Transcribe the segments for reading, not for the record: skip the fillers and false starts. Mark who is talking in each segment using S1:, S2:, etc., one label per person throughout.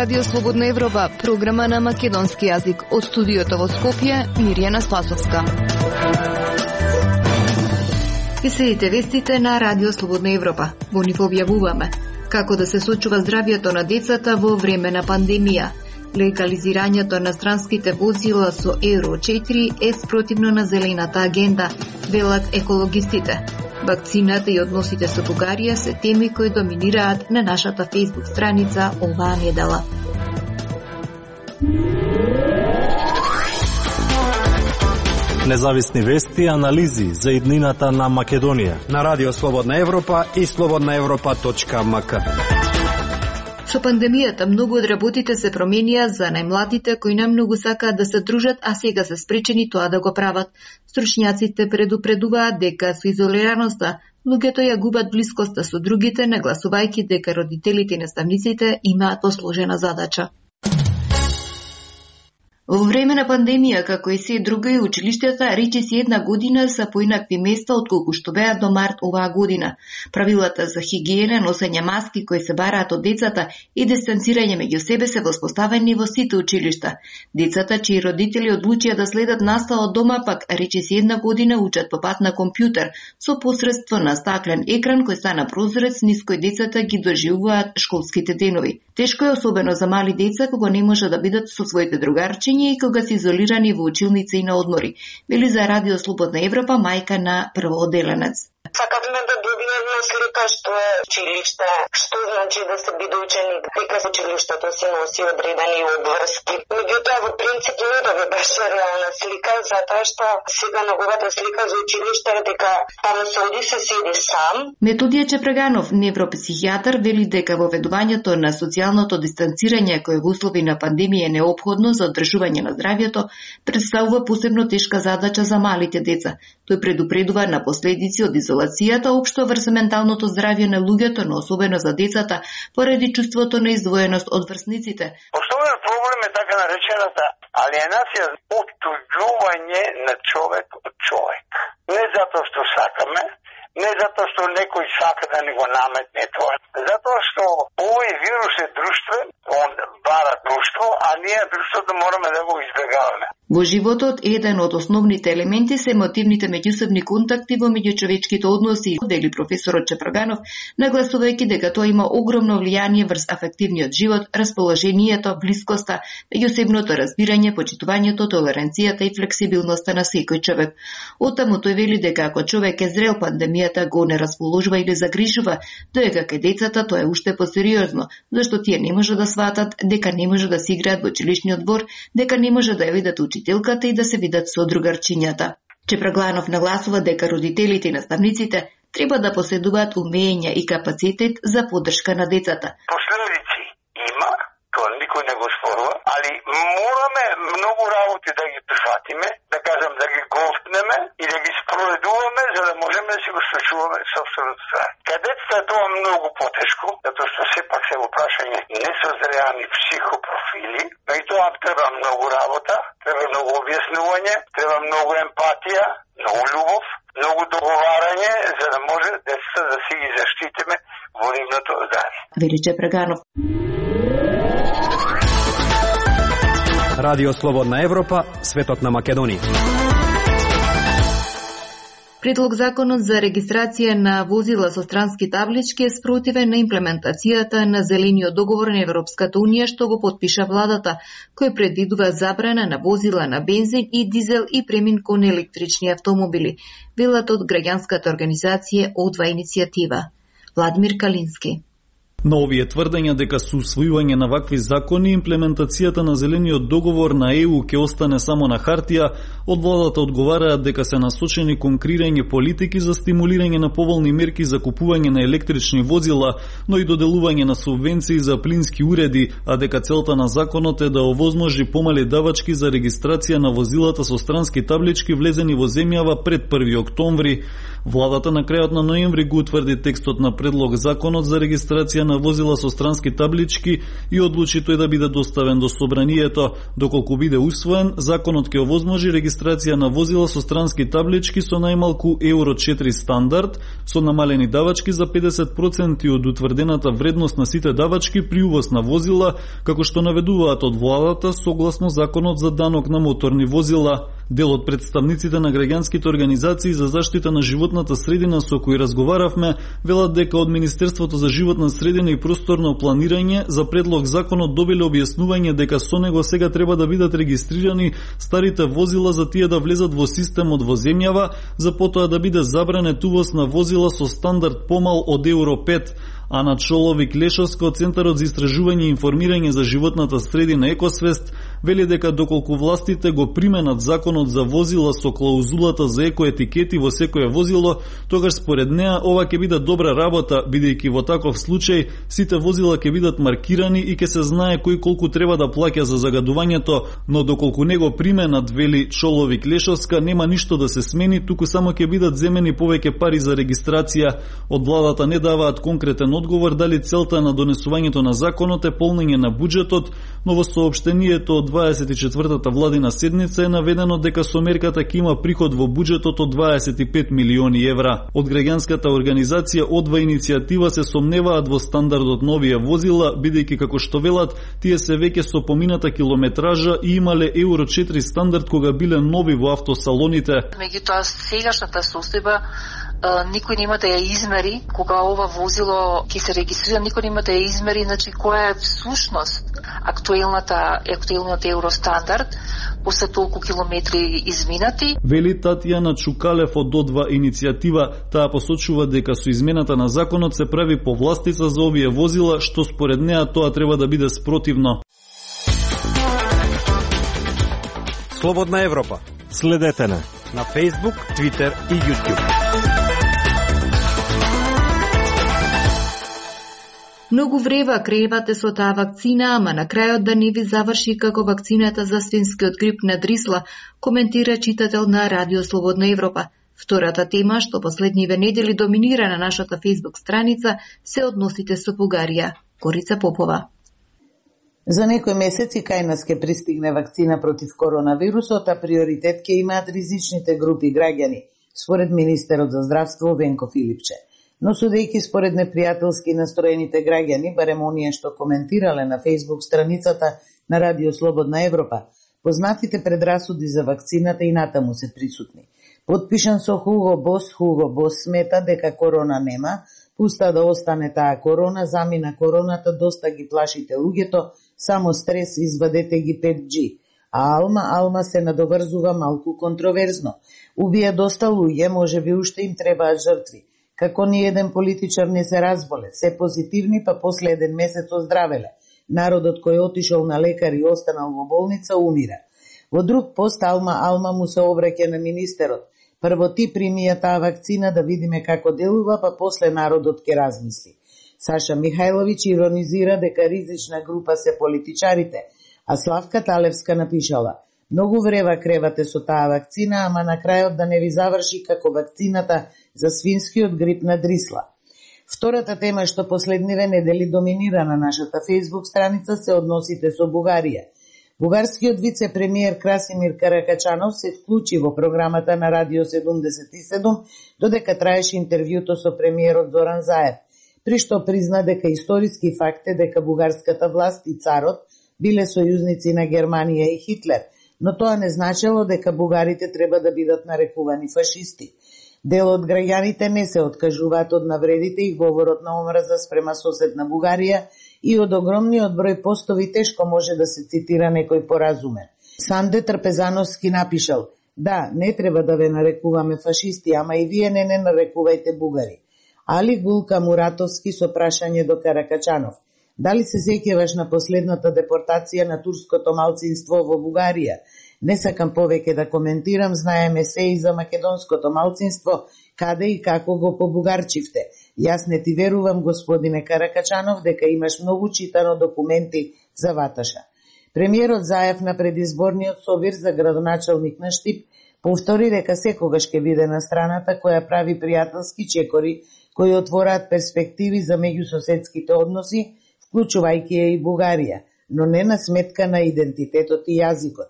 S1: Радио Слободна Европа, програма на македонски јазик. Од студиото во Скопје, Мирјана Спасовска. Ви следите вестите на Радио Слободна Европа. Во нив објавуваме како да се сочува здравјето на децата во време на пандемија. Легализирањето на странските возила со Евро 4 е спротивно на зелената агенда, велат екологистите. Вакцината и односите со Бугарија се теми кои доминираат на нашата Facebook страница оваа недела.
S2: Независни вести и анализи за иднината на Македонија
S3: на Радио Слободна Европа и slobodnaevropa.mk.
S1: Со пандемијата многу од работите се променија за најмладите кои најмногу сакаат да се дружат, а сега се спречени тоа да го прават. Стручњаците предупредуваат дека со изолираноста луѓето ја губат блискоста со другите, нагласувајќи дека родителите и наставниците имаат посложена задача. Во време на пандемија, како и се друго и училиштата, речиси една година се поинакви места отколку што беа до март оваа година. Правилата за хигиена, носење маски кои се бараат од децата и дистанцирање меѓу себе се воспоставени во сите училишта. Децата чии родители одлучија да следат настава од дома, пак речиси една година учат по пат на компјутер со посредство на стаклен екран кој стана прозорец низ кој децата ги доживуваат школските денови. Тешко е особено за мали деца кога не може да бидат со своите другарчиња и кога се изолирани во училници и на одмори, вели за Радио Слободна Европа мајка на првооделенец.
S4: Сакавме да добиеме слика што е училиште, што значи да се биде ученик, дека училиштето си носи одредени обврски. Меѓутоа, во принцип, не да ви беше реална слика, затоа што сега неговата слика за училиште е дека таму се оди се седи сам.
S1: Методија Чепреганов, невропсихијатар, вели дека воведувањето на социјалното дистанцирање кое во услови на пандемија е неопходно за одржување на здравјето, представува посебно тешка задача за малите деца. Тој предупредува на последици од изолацијата општо врз менталното здравје на луѓето, но особено за децата, поради чувството на издвоеност од врсниците.
S5: Основен проблем е така наречената алиенација, оттуѓување на човек од човек. Не затоа што сакаме, не затоа што некој сака да ни го наметне тоа. Затоа што овој вирус е друштвен, он бара друштво, а ние друштвото мораме да го избегаваме.
S1: Во животот, еден од основните елементи се емотивните меѓусебни контакти во меѓучовечките односи, дели професорот Чепреганов, нагласувајќи дека тоа има огромно влијание врз афективниот живот, расположението, блискоста, меѓусебното разбирање, почитувањето, толеранцијата и флексибилноста на секој човек. Оттаму тој вели дека ако човек е зрел, пандемијата го не расположува или загрижува, доека кај децата тоа е уште посериозно, зашто тие не може да сватат дека не може да се играат во училишниот двор, дека не може да ја видат учителката и да се видат со другарчињата. Чепреганов нагласува дека родителите и наставниците треба да поседуваат умења и капацитет за поддршка на децата.
S5: Последици има, тоа никој не го спорува, али мораме многу работи да ги прифатиме, да кажам да ги голтнеме и да ги спроведуваме за да можеме да си го случуваме собственото здравје. Кадетата е тоа многу потешко, затоа што сепак се во прашање несозреани психопрофили, но и тоа треба многу работа, треба многу објаснување, треба многу емпатија, многу љубов, многу договарање, за да може децата да си ги заштитиме во нивното здравје.
S1: Вели Чепреганов.
S3: Радио Слободна Европа, светот на Македонија.
S1: Предлог законот за регистрација на возила со странски таблички е спротивен на имплементацијата на Зелениот договор на Европската Унија што го потпиша владата, кој предвидува забрана на возила на бензин и дизел и премин кон електрични автомобили, велат од граѓанската организација О2 иницијатива. Владимир Калински.
S6: На овие тврдења дека со усвојување на вакви закони имплементацијата на Зелениот договор на ЕУ ќе остане само на хартија, од владата одговараат дека се насочени кон креирање политики за стимулирање на поволни мерки за купување на електрични возила, но и доделување на субвенции за плински уреди, а дека целта на законот е да овозможи помали давачки за регистрација на возилата со странски таблички влезени во земјава пред 1 октомври. Владата на крајот на ноември го утврди текстот на предлог законот за регистрација на возила со странски таблички и одлучи тој да биде доставен до собранието. Доколку биде усвоен, законот ќе овозможи регистрација на возила со странски таблички со најмалку Евро 4 стандард, со намалени давачки за 50% од утврдената вредност на сите давачки при увоз на возила, како што наведуваат од владата согласно законот за данок на моторни возила. Дел од представниците на граѓанските организации за заштита на животната средина со кои разговаравме, велат дека од Министерството за животна средина и просторно планирање за предлог законот добиле објаснување дека со него сега треба да бидат регистрирани старите возила за тие да влезат во системот во земјава, за потоа да биде забранет увоз на возила со стандард помал од Евро 5. Ана Чоловик-Лешовска од Центарот за истражување и информирање за животната средина Екосвест вели дека доколку властите го применат законот за возила со клаузулата за екоетикети во секое возило, тогаш според неа ова ќе биде добра работа, бидејќи во таков случај сите возила ќе бидат маркирани и ќе се знае кој колку треба да плаќа за загадувањето, но доколку не го применат, вели Чоловик-Лешовска, нема ништо да се смени, туку само ќе бидат земени повеќе пари за регистрација. Од владата не даваат конкретен одговор дали целта на донесувањето на законот е полнење на буџетот, но во соопштението од 24-та владина седница е наведено дека со мерката ќе има приход во буџетот од 25 милиони евра. Од граѓанската организација Одва иницијатива се сомневаат во стандардот на овие возила, бидејќи како што велат, тие се веќе со помината километража и имале Евро 4 стандард кога биле нови во автосалоните.
S7: Меѓутоа сегашната состојба никој нема да ја измери кога ова возило ќе се регистрира, никој нема да ја измери, значи која е всушност актуелниот евростандард после толку километри изминати.
S6: Вели Татјана Чукалев од Одва иницијатива, таа посочува дека со измената на законот се прави повластица за овие возила, што според неа тоа треба да биде спротивно.
S3: Слободна Европа.
S2: Следете на
S3: Facebook, Twitter и YouTube.
S1: Многу врева кревате со таа вакцина, ама на крајот да не ви заврши како вакцината за свинскиот грип на Дрисла, коментира читател на Радио Слободна Европа. Втората тема, што последниве недели доминира на нашата Facebook страница, се односите со Бугарија. Корица Попова.
S8: За некои месеци кај нас ќе пристигне вакцина против коронавирусот, а приоритет ќе имаат ризичните групи граѓани, според министерот за здравство Венко Филипче. Но судејќи според непријателски настроените граѓани, барем оние што коментирале на Facebook страницата на Радио Слободна Европа, познатите предрасуди за вакцината и натаму се присутни. Потпишан со Хуго Бос смета дека корона нема, пуста да остане таа корона, замина короната, доста ги плашите луѓето, само стрес, извадете ги 5G. А Алма се надоврзува малку контроверзно. Убија доста луѓе, може би уште им требаат жртви. Како ни еден политичар не се разболе, се позитивни, па после еден месец оздравеле. Народот кој отишол на лекар и останал во болница умира. Во друг пост Алма му се обраќа на министерот. Прво ти прими ја таа вакцина да видиме како делува, па после народот ќе размисли. Саша Михајловиќ иронизира дека ризична група се политичарите, а Славка Талевска напишала: многу врева кревате со таа вакцина, ама на крајот да не ви заврши како вакцината за свинскиот грип на Дрисла. Втората тема што последниве недели доминира на нашата Facebook страница се односите со Бугарија. Бугарскиот вице-премиер Красимир Каракачанов се вклучи во програмата на Радио 77, додека траеше интервјуто со премиерот Зоран Заев, при што призна дека историски факт е дека бугарската власт и царот биле сојузници на Германија и Хитлер, но тоа не значело дека бугарите треба да бидат нарекувани фашисти. Дел од граѓаните не се откажуваат од навредите и говорот на омраза спрема соседна Бугарија и од огромниот број постови тешко може да се цитира некој поразумен. Санде Трпезановски напишал: да, не треба да ве нарекуваме фашисти, ама и вие не нарекувајте бугари. Али Гулка Муратовски со прашање до Каракачанов: дали се сеќаваш на последната депортација на турското малцинство во Бугарија? Не сакам повеќе да коментирам, знаеме се и за македонското малцинство, каде и како го побугарчивте. Јас не ти верувам, господине Каракачанов, дека имаш многу читано документи за Ваташа. Премиерот Заев на предизборниот собир за градоначалник на Штип Повтори дека секогаш ќе биде на страната која прави пријателски чекори кои отвораат перспективи за меѓусоседските односи, вклучувајќи ја и Бугарија, но не на сметка на идентитетот и јазикот.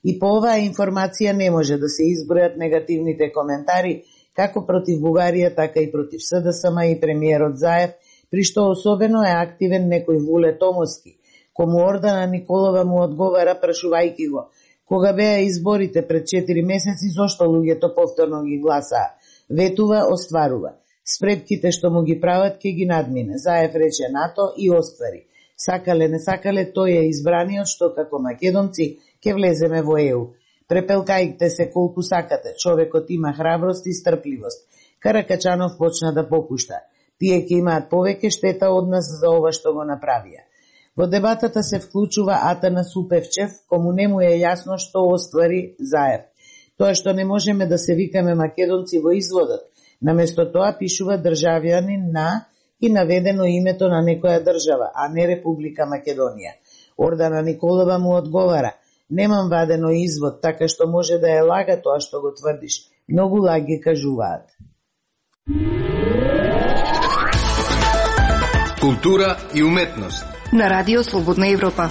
S8: И по оваа информација не може да се избројат негативните коментари како против Бугарија, така и против СДСМ и премиерот Заев, при што особено е активен некој Вуле Томовски, кому Ордана Николова му одговара прашувајќи го: кога беа изборите пред 4 месеци, зошто луѓето повторно ги гласаа? Ветува, остварува. Спретките што му ги прават ќе ги надмине. Заев рече НАТО и оствари. Сакале не сакале, тој е избраниот што како македонци ќе влеземе во ЕУ. Препелкајте се колку сакате, човекот има храброст и стрпливост. Каракачанов почна да попушта. Тие ќе имаат повеќе штета од нас за ова што го направија. Во дебатата се вклучува Атанас Упевчев, кому не му е јасно што оствари Заев. Тоа што не можеме да се викаме македонци во изводот, наместо тоа пишува државјанин на и наведено името на некоја држава, а не Република Македонија. Ордана Николова му одговара: немам вадено извод, така што може да е лага тоа што го тврдиш. Многу лаги кажуваат.
S3: Култура и уметност
S1: на Радио Слободна Европа.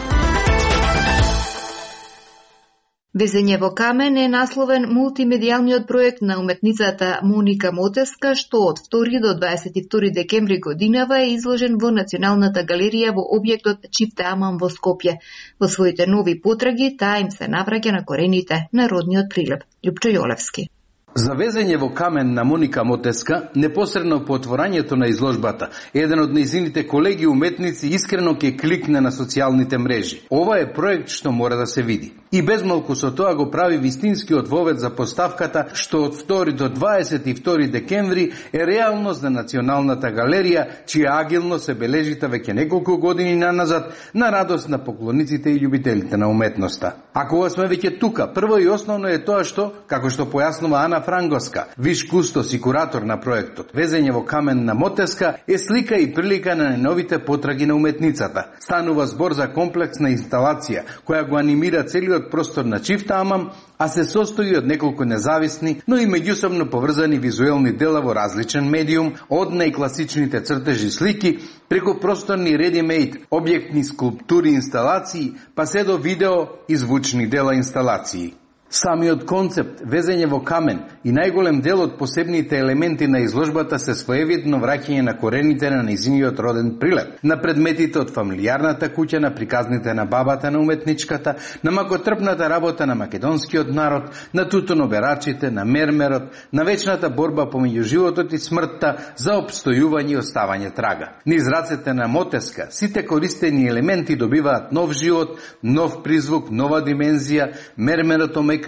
S1: Везење во камен е насловен мултимедијалниот проект на уметницата Моника Мотеска, што од 2 до 22 декември годинава е изложен во Националната галерија во објектот Чифте Аман во Скопје. Во своите нови потраги таа им се навраќа на корените на родниот Прилеп. Љупчо Јолевски.
S3: За везење во камен на Моника Мотеска, непосредно по отворањето на изложбата, еден од нејзините колеги уметници искрено ќе кликне на социјалните мрежи. Ова е проект што мора да се види. И безмалку со тоа го прави вистинскиот вовед за поставката што од 2 до 22 декември е реалност на Националната галерија, чија агилност се бележита веќе неколку години наназад на радост на поклониците и љубителите на уметноста. А кога сме веќе тука, прво и основно е тоа што, како што појаснува Ана Франговска, виш кустос и куратор на проектот, везење во камен на Мотеска е слика и прилика на новите потраги на уметницата. Станува збор за комплексна инсталација која го анимира целиот простор на Чифте Аман, а се состои од неколку независни, но и меѓусобно поврзани визуелни дела во различен медиум, од најкласичните цртежи слики, преку просторни ready-made, објектни скулптури инсталации, па се до видео и звучни дела инсталации. Самиот концепт, везење во камен и најголем дел од посебните елементи на изложбата се своевидно враќање на корените на нејзиниот роден Прилеп, на предметите од фамилијарната куќа, на приказните на бабата на уметничката, на макотрпната работа на македонскиот народ, на тутуноберачите, на мермерот, на вечната борба помеѓу животот и смртта за опстојување и оставање трага. Низ рацете на Мотеска, сите користени елементи добиваат нов живот, нов призвук, нова димензија, мермерот омекнува,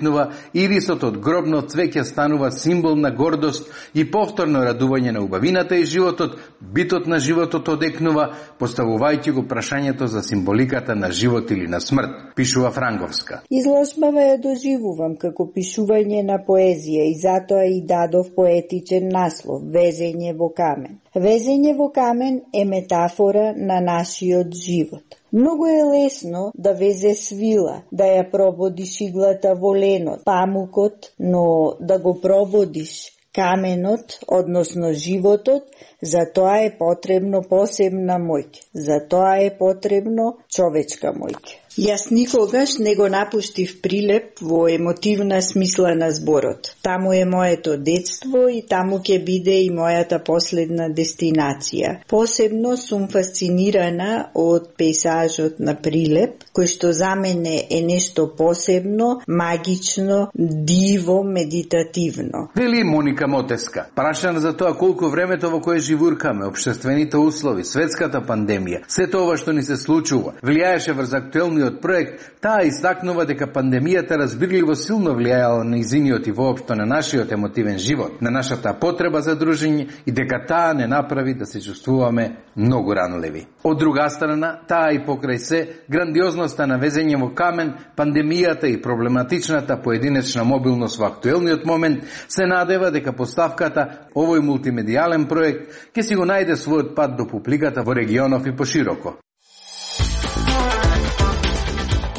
S3: ирисот од гробно цвеќе станува символ на гордост и повторно радување на убавината и животот, битот на животот одекнува, поставувајќи го прашањето за символиката на живот или на смрт, пишува Франговска.
S9: Изложбава ја доживувам како пишување на поезија и затоа и дадов поетичен наслов Везење во камен. Везење во камен е метафора на нашиот живот. Многу е лесно да везе свила, да ја прободиш иглата во ленот, памукот, но да го прободиш каменот, односно животот, за тоа е потребно посебна моќ, за тоа е потребно човечка моќ. Јас никогаш не го напуштив Прилеп во емотивна смисла на зборот. Таму е моето детство и таму ќе биде и мојата последна дестинација. Посебно сум фасцинирана од пейзажот на Прилеп, кој што за мене е нешто посебно, магично, диво, медитативно.
S3: Вели Моника Мотеска, прашана за тоа колку времето во кое живуркаме, општествените услови, светската пандемија, сето ова што ни се случува, влијаеше врз актуелниот проект, таа истакнува дека пандемијата разбирливо силно влијаела на нејзиниот и воопшто на нашиот емотивен живот, на нашата потреба за дружење и дека таа не направи да се чувствуваме многу ранливи. Од друга страна, таа и покрај се, грандиозноста на везење во камен, пандемијата и проблематичната поединечна мобилност во актуелниот момент се надева дека поставката, овој мултимедијален проект, ќе си го најде својот пат до публиката во регионов и пошироко.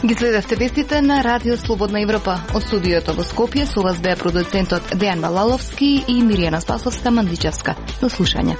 S1: Ги следевте вестите на Радио Слободна Европа. Од студиото во Скопје со вас беа продуцентот Дејан Балаловски и Миријана Спасовска Мандличевска. До слушање.